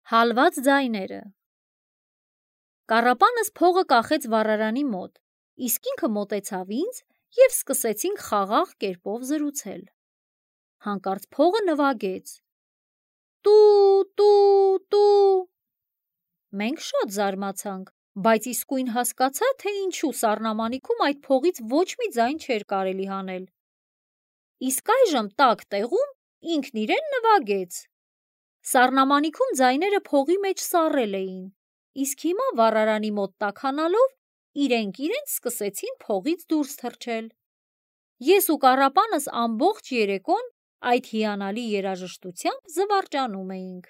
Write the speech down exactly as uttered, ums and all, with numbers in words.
Հալված ձայները։ Կառապանս փողը կախեց վառարանի մոտ, իսկ ինքը մոտեցավ ինձ և սկսեցինք խաղաղ կերպով զրուցել։ Հանկարծ փողը նվագեց. «Տու, տու, տու»։ Մենք շատ զարմացանք, բայց իսկույն հասկացա, թե ինչու սառնամանիքում այդ փողից ոչ մի ձայն չէր կարելի հանել։ Իսկ այժմ տաք տեղում ինքն իրեն նվագեց։ Սառնամանիքում ձայները փողի մեջ սառել էին, իսկ հիմա վառարանի մոտ տաքանալով իրենք իրենց սկսեցին փողից դուրս թռչել։ Ես ու կառապանս ամբողջ երեկոն այդ հիանալի երաժշտությամբ զվարճանում էինք։